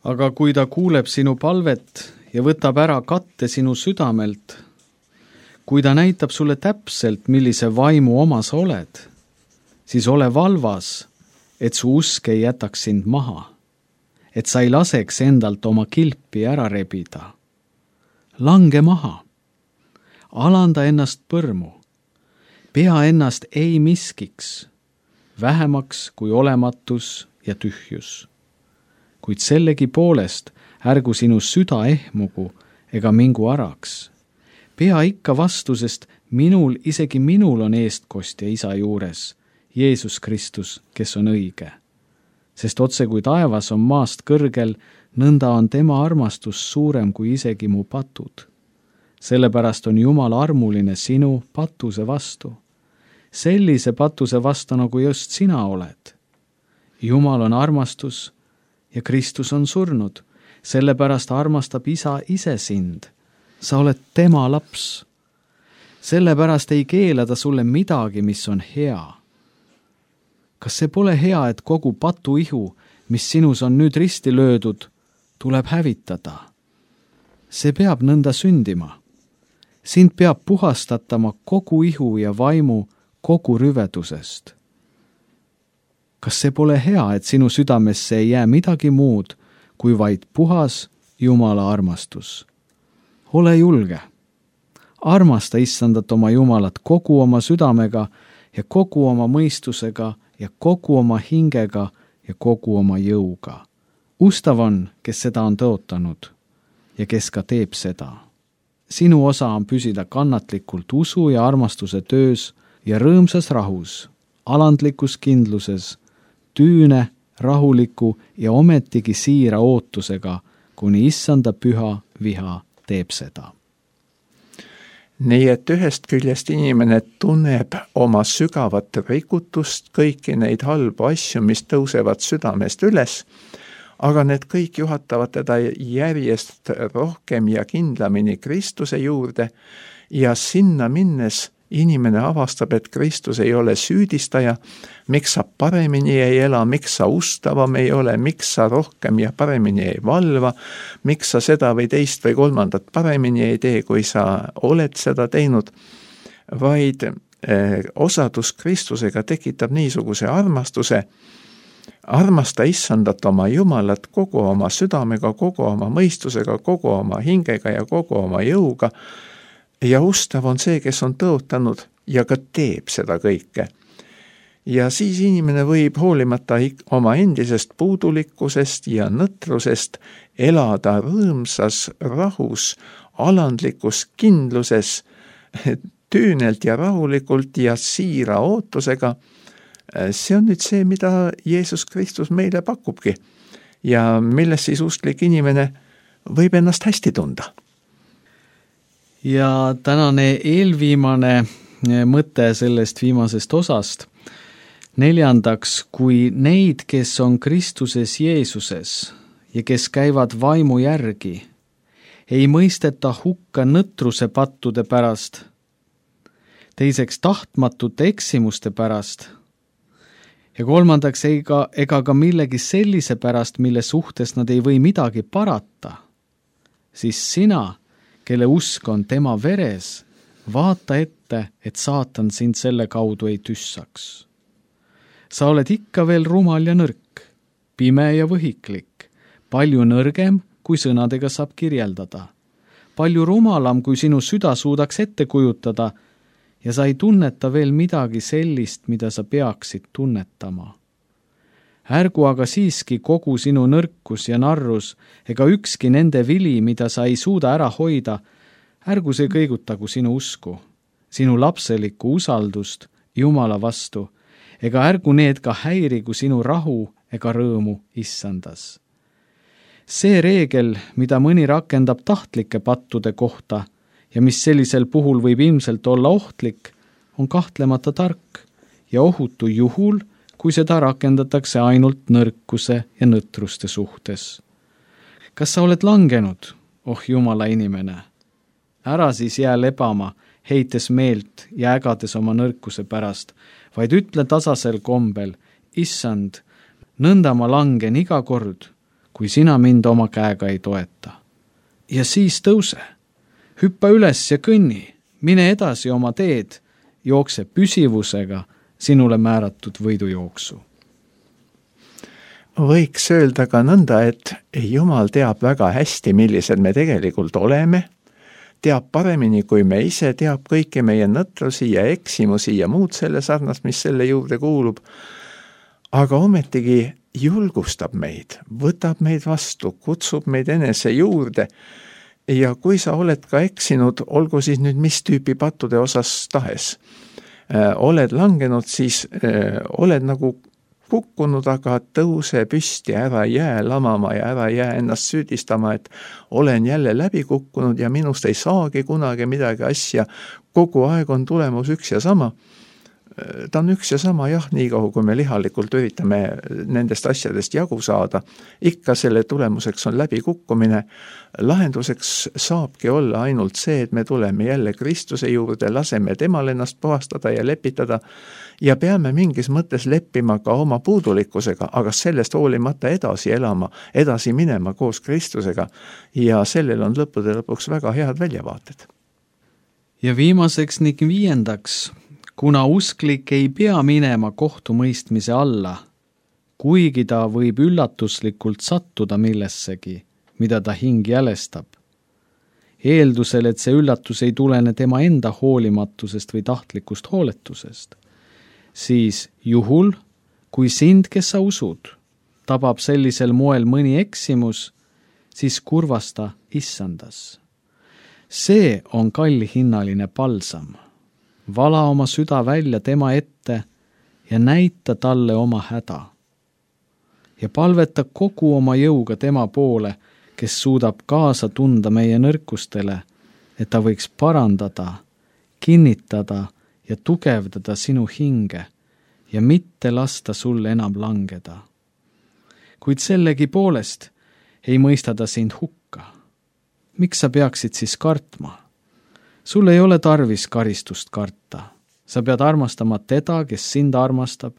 Aga kui ta kuuleb sinu palvet ja võtab ära katte sinu südamelt, kui ta näitab sulle täpselt, millise vaimu oma sa oled, siis ole valvas, et su usk ei jätaks sind maha, et sa ei laseks endalt oma kilpi ära rebida. Lange maha, alanda ennast põrmu, pea ennast ei miskiks, vähemaks kui olematus ja tühjus. Kuid sellegi poolest ärgu sinu süda ehmugu ega mingu araks. Pea ikka vastusest isegi minul on eestkostja isa juures, Jeesus Kristus, kes on õige. Sest otse kui taevas on maast kõrgel, nõnda on tema armastus suurem kui isegi mu patud. Sellepärast on Jumal armuline sinu patuse vastu. Sellise patuse vastu, nagu just sina oled. Jumal on armastus ja Kristus on surnud. Sellepärast armastab isa ise sind. Sa oled tema laps. Sellepärast ei keela ta sulle midagi, mis on hea. Kas see pole hea, et kogu patuihu, mis sinus on nüüd risti löödud, tuleb hävitada? See peab nõnda sündima. Sind peab puhastatama kogu ihu ja vaimu kogu rüvedusest. Kas see pole hea, et sinu südamesse ei jää midagi muud, kui vaid puhas Jumala armastus? Ole julge. Armasta Issandat oma Jumalat kogu oma südamega ja kogu oma mõistusega ja kogu oma hingega ja kogu oma jõuga. Ustav on, kes seda on tõotanud ja kes ka teeb seda. Sinu osa on püsida kannatlikult usu ja armastuse töös ja rõõmsas rahus, alandlikus kindluses, tüüne, rahuliku ja ometigi siira ootusega, kuni Issanda püha viha teeb seda. Nii et ühest küljest inimene tunneb oma sügavat rikutust, kõiki neid halbu asju, mis tõusevad südamest üles, aga need kõik juhatavad teda järjest rohkem ja kindlamini Kristuse juurde ja sinna minnes inimene avastab, et Kristus ei ole süüdistaja, miks sa paremini ei ela, miks sa ustavam ei ole, miks sa rohkem ja paremini ei valva, miks sa seda või teist või kolmandat paremini ei tee, kui sa oled seda teinud, vaid osadus Kristusega tekitab niisuguse armastuse. Armasta Issandat oma Jumalat kogu oma südamega, kogu oma mõistusega, kogu oma hingega ja kogu oma jõuga. Ja ustav on see, kes on tõotanud ja ka teeb seda kõike. Ja siis inimene võib hoolimata oma endisest puudulikkusest ja nõtrusest elada rõõmsas rahus, alandlikus kindluses, tüünelt ja rahulikult ja siira ootusega. See on nüüd see, mida Jeesus Kristus meile pakubki ja milles siis usklik inimene võib ennast hästi tunda. Ja tänane eelviimane mõte sellest viimasest osast. 4. kui neid, kes on Kristuses Jeesuses ja kes käivad vaimu järgi, ei mõisteta hukka nõtruse pattude pärast, 2. tahtmatute eksimuste pärast ja 3. ega ka millegi sellise pärast, mille suhtes nad ei või midagi parata, siis sina, kelle usk on tema veres, vaata ette, et saatan sind selle kaudu ei tüssaks. Sa oled ikka veel rumal ja nõrk, pime ja võhiklik, palju nõrgem, kui sõnadega saab kirjeldada, palju rumalam, kui sinu süda suudaks ette kujutada ja sa ei tunneta veel midagi sellist, mida sa peaksid tunnetama. ärgu aga siiski kogu sinu nõrkus ja narrus ega ükski nende vili, mida sa ei suuda ära hoida, ärgu see kõigutagu sinu usku, sinu lapselikku usaldust Jumala vastu, ega ärgu need ka häirigu sinu rahu ega rõõmu issandas. See reegel, mida mõni rakendab tahtlike pattude kohta ja mis sellisel puhul võib ilmselt olla ohtlik, on kahtlemata tark ja ohutu juhul, kui seda rakendatakse ainult nõrkuse ja nõtruste suhtes. Kas sa oled langenud, oh Jumala inimene? Ära siis jää lebama, heites meelt ja ägades oma nõrkuse pärast, vaid ütle tasasel kombel, issand, nõnda ma langen iga kord, kui sina mind oma käega ei toeta. Ja siis tõuse, hüppa üles ja kõnni, mine edasi oma teed, jookse püsivusega sinule määratud võidujooksu. Võiks öelda ka nõnda, et Jumal teab väga hästi, millised me tegelikult oleme, teab paremini kui me ise, teab kõiki meie nõtrusi ja eksimusi ja muud selle sarnast, mis selle juurde kuulub, aga ometigi julgustab meid, võtab meid vastu, kutsub meid enese juurde ja kui sa oled ka eksinud, olgu siis nüüd mis tüüpi pattude osas tahes, oled langenud, siis oled nagu kukkunud, aga tõuse püsti, ära jää lamama ja ära jää ennast süüdistama, et olen jälle läbi kukkunud ja minust ei saagi kunagi midagi asja, kogu aeg on tulemus üks ja sama. Ta on üks ja sama, jah, nii kaua, kui me lihalikult üritame nendest asjadest jagu saada. Ikka selle tulemuseks on läbikukkumine. Lahenduseks saabki olla ainult see, et me tuleme jälle Kristuse juurde, laseme temal ennast puhastada ja lepitada ja peame mingis mõttes leppima ka oma puudulikkusega, aga sellest hoolimata edasi elama, edasi minema koos Kristusega ja sellel on lõppude lõpuks väga head väljavaated. Ja viimaseks ning viiendaks, kuna usklik ei pea minema kohtumõistmise alla, kuigi ta võib üllatuslikult sattuda millessegi, mida ta hing jälestab. Eeldusel, et see üllatus ei tulene tema enda hoolimatusest või tahtlikust hooletusest, siis juhul, kui sind, kes sa usud, tabab sellisel moel mõni eksimus, siis kurvasta issandas. See on kallihinnaline palsam. Vala oma süda välja tema ette ja näita talle oma häda. Ja palveta kogu oma jõuga tema poole, kes suudab kaasa tunda meie nõrkustele, et ta võiks parandada, kinnitada ja tugevdada sinu hinge ja mitte lasta sul enam langeda. Kuid sellegi poolest ei mõista ta sind hukka. Miks sa peaksid siis kartma? Sul ei ole tarvis karistust karta. Sa pead armastama teda, kes sind armastab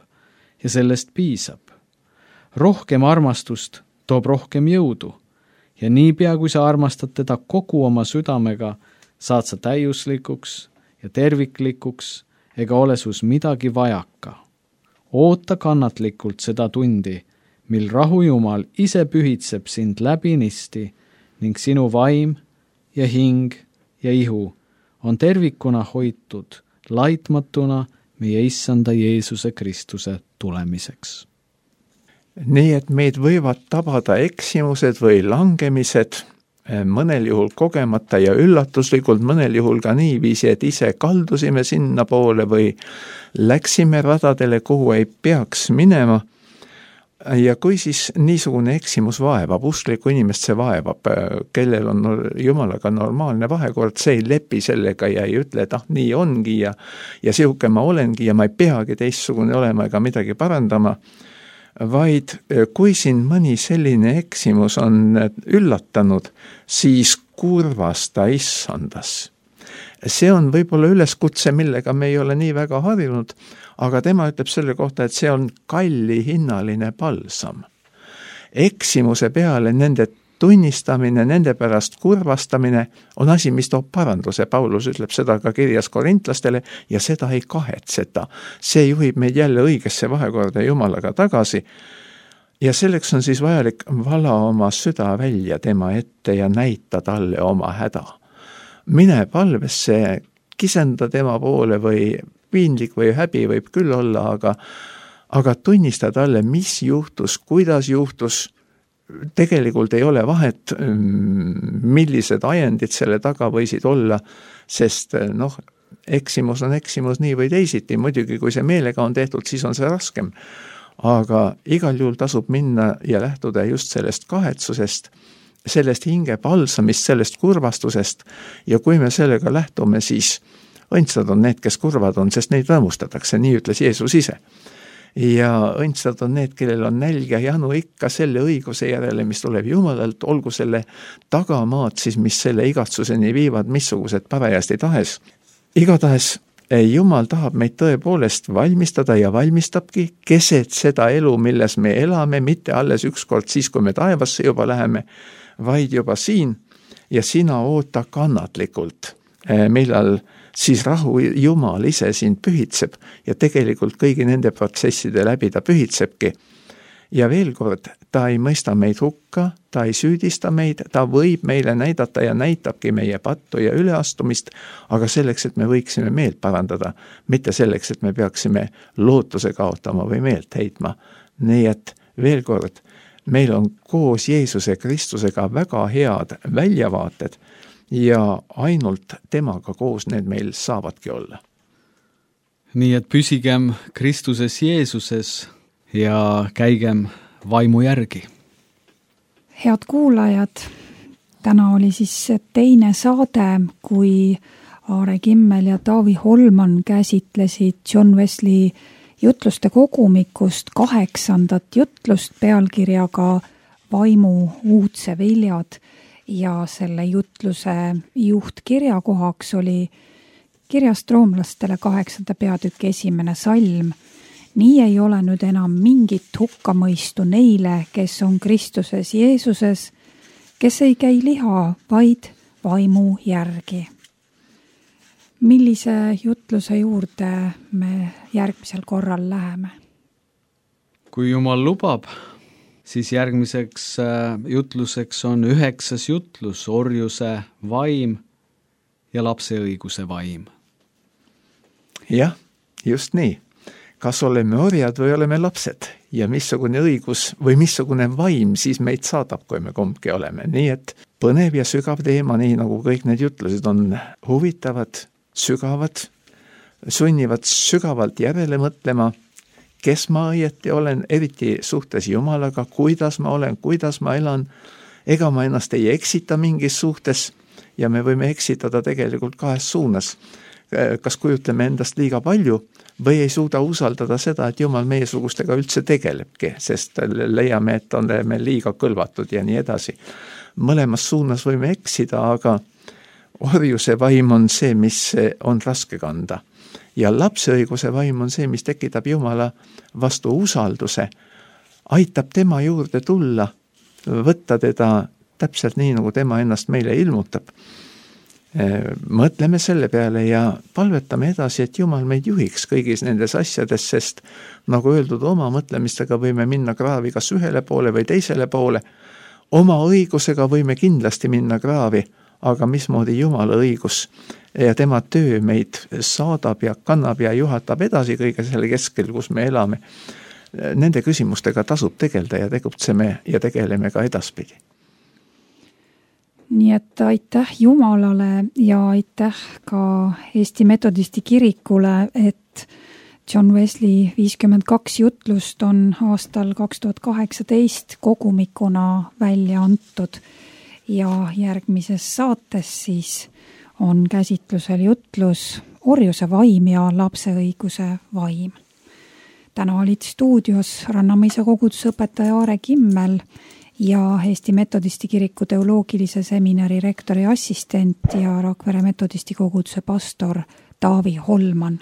ja sellest piisab. Rohkem armastust toob rohkem jõudu ja niipea, kui sa armastad teda kogu oma südamega, saad sa täiuslikuks ja terviklikuks ega ole sus midagi vajaka. Oota kannatlikult seda tundi, mil rahujumal ise pühitseb sind läbinisti ning sinu vaim ja hing ja ihu on tervikuna hoitud laitmatuna meie issanda Jeesuse Kristuse tulemiseks. Nii et meid võivad tabada eksimused või langemised, mõnel juhul kogemata ja üllatuslikult, mõnel juhul ka niiviisi, et ise kaldusime sinna poole või läksime radadele, kuhu ei peaks minema. Ja kui siis niisugune eksimus vaevab, usklikku inimest see vaevab, kellel on Jumalaga normaalne vahekord, see ei lepi sellega ja ei ütle, et nii ongi ja sihuke ma olengi ja ma ei peagi teistsugune olema ega midagi parandama, vaid kui siin mõni selline eksimus on üllatanud, siis kurvasta issandas. See on võib-olla üleskutse, millega me ei ole nii väga harjunud, aga tema ütleb selle kohta, et see on kallihinnaline palsam. Eksimuse peale nende tunnistamine, nende pärast kurvastamine on asi, mis toob paranduse. Paulus ütleb seda ka kirjas korintlastele ja seda ei kahetseta. See juhib meid jälle õigesse vahekorda Jumalaga tagasi. Ja selleks on siis vajalik vala oma süda välja tema ette ja näita talle oma häda. Mine palvesse, kisenda tema poole või piinlik või häbi võib küll olla, aga tunnistada talle, mis juhtus, kuidas juhtus, tegelikult ei ole vahet, millised ajendid selle taga võisid olla, sest eksimus on eksimus nii või teisiti, muidugi kui see meelega on tehtud, siis on see raskem. Aga igal juhul tasub minna ja lähtuda just sellest kahetsusest, sellest hinge palsamist, sellest kurvastusest ja kui me sellega lähtume, siis õndsad on need, kes kurvad on, sest neid rõõmustatakse, nii ütles Jeesus ise. Ja õndsad on need, kellel on nälg ja janu ikka selle õiguse järele, mis tuleb Jumalalt, olgu selle tagamaad siis, mis selle igatsuseni viivad, missugused parajasti tahes. Igatahes Jumal tahab meid tõepoolest valmistada ja valmistabki keset seda elu, milles me elame, mitte alles ükskord siis, kui me taevasse juba läheme, vaid juba siin ja sina oota kannatlikult, millal siis rahu Jumal ise sind pühitseb ja tegelikult kõigi nende protsesside läbi ta pühitsebki. Ja veel kord, ta ei mõista meid hukka, ta ei süüdista meid, ta võib meile näidata ja näitabki meie pattu ja üleastumist, aga selleks, et me võiksime meelt parandada, mitte selleks, et me peaksime lootuse kaotama või meelt heitma. Nii et veel kord, meil on koos Jeesuse Kristusega väga head väljavaated ja ainult temaga koos need meil saavadki olla. Nii et püsigem Kristuses Jeesuses ja käigem vaimu järgi. Head kuulajad, täna oli siis teine saade, kui Aare Kimmel ja Taavi Holman käsitlesid John Wesley jutluste kogumikust 8. jutlust pealkirjaga Vaimu uudse viljad ja selle jutluse juhtkirjakohaks oli kirjast roomlastele 8. peatüki 1. salm. Nii ei ole nüüd enam mingit hukkamõistu neile, kes on Kristuses Jeesuses, kes ei käi liha, vaid vaimu järgi. Millise jutluse juurde me järgmisel korral läheme? Kui Jumal lubab, siis järgmiseks jutluseks on 9. jutlus, orjuse vaim ja lapse õiguse vaim. Jah, just nii. Kas oleme orjad või oleme lapsed ja missugune õigus või missugune vaim siis meid saadab, kui me kumbki oleme. Nii et põnev ja sügav teema, nii nagu kõik need jutlused on huvitavad, sügavad, sunnivad sügavalt järele mõtlema, kes ma õieti olen, eriti suhtes Jumalaga, kuidas ma olen, kuidas ma elan, ega ma ennast ei eksita mingis suhtes ja me võime eksitada tegelikult 2 suunas. Kas kujutleme endast liiga palju või ei suuda usaldada seda, et Jumal meiesugustega üldse tegelebki, sest leiame, et oleme liiga kõlvatud ja nii edasi. Mõlemas suunas võime eksida, aga orjuse vaim on see, mis on raske kanda. Ja lapse õiguse vaim on see, mis tekitab Jumala vastu usalduse, aitab tema juurde tulla, võtta teda täpselt nii, nagu tema ennast meile ilmutab. Mõtleme selle peale ja palvetame edasi, et Jumal meid juhiks kõigis nendes asjades, sest nagu öeldud, oma mõtlemistega võime minna kraavi kas ühele poole või teisele poole. Oma õigusega võime kindlasti minna kraavi, aga mismoodi Jumala õigus ja tema töö meid saadab ja kannab ja juhatab edasi kõige selle keskel, kus me elame. Nende küsimustega tasub tegelda ja tegutseme ja tegeleme ka edaspidi. Nii et aitäh Jumalale ja aitäh ka Eesti Metodisti kirikule, et John Wesley 52 jutlust on aastal 2018 kogumikuna välja antud ja järgmises saates siis on käsitlusel jutlus orjuse vaim ja lapse õiguse vaim. Täna olid stuudios Rannamõisa kogudusõpetaja Aare Kimmel ja Eesti Metodisti kiriku teoloogilise seminari rektori assistent ja Rakvere Metodisti koguduse pastor Taavi Holman.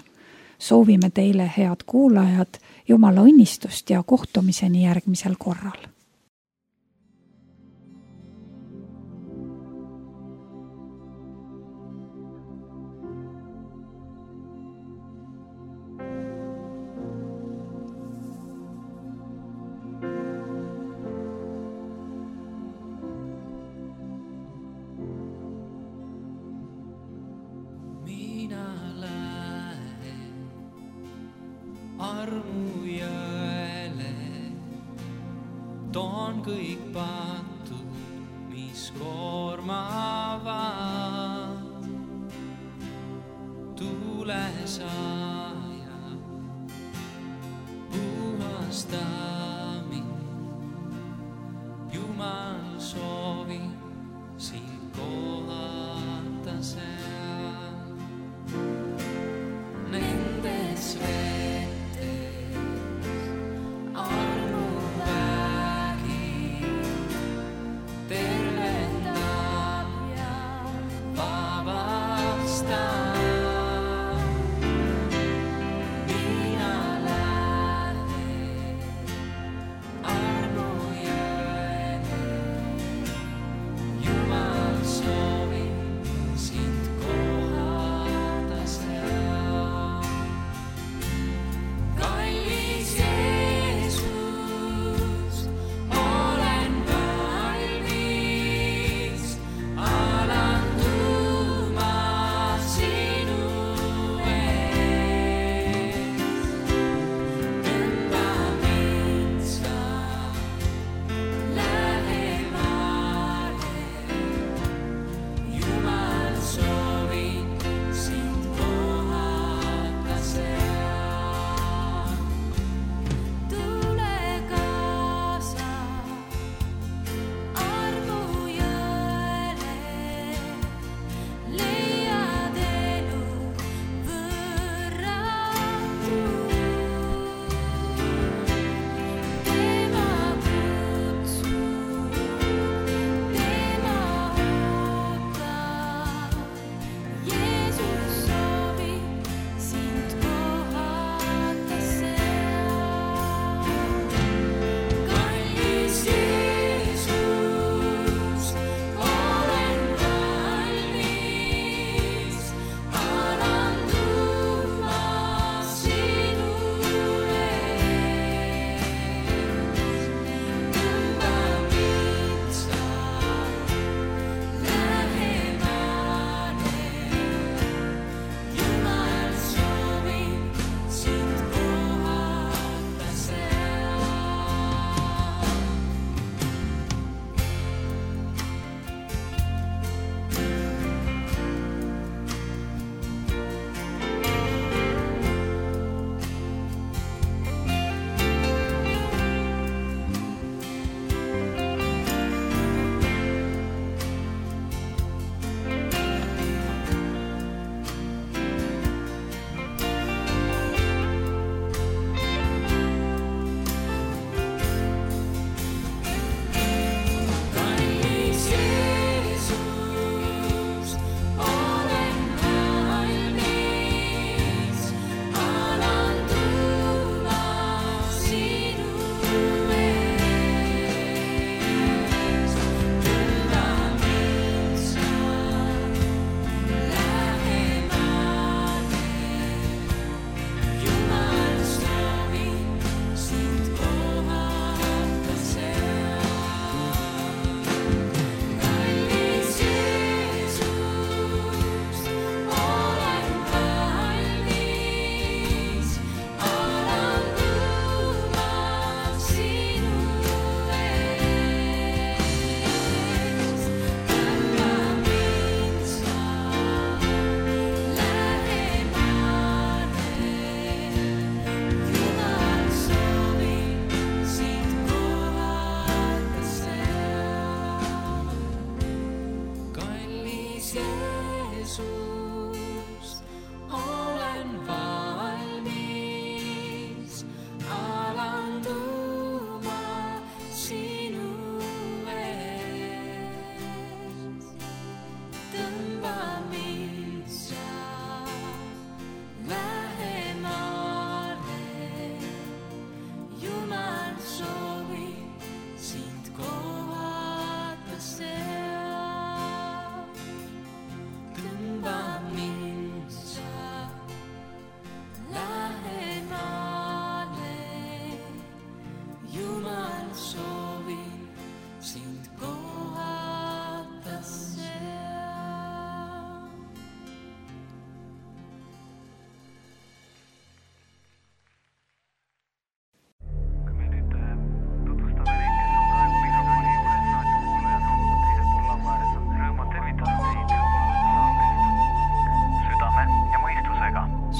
Soovime teile, head kuulajad, Jumala õnnistust ja kohtumiseni järgmisel korral. Armu ja toon kõik patud, mis koormavad. Tuule saaja, puhasta mind. Jumal soovi sind kohata seal. Nendes vetes armu vägi tervendab ja vabastab. Mina lähen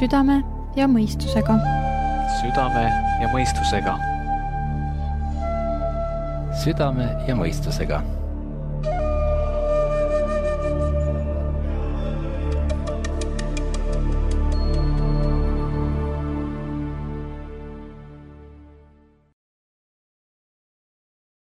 südame ja mõistusega. südame ja mõistusega. südame ja mõistusega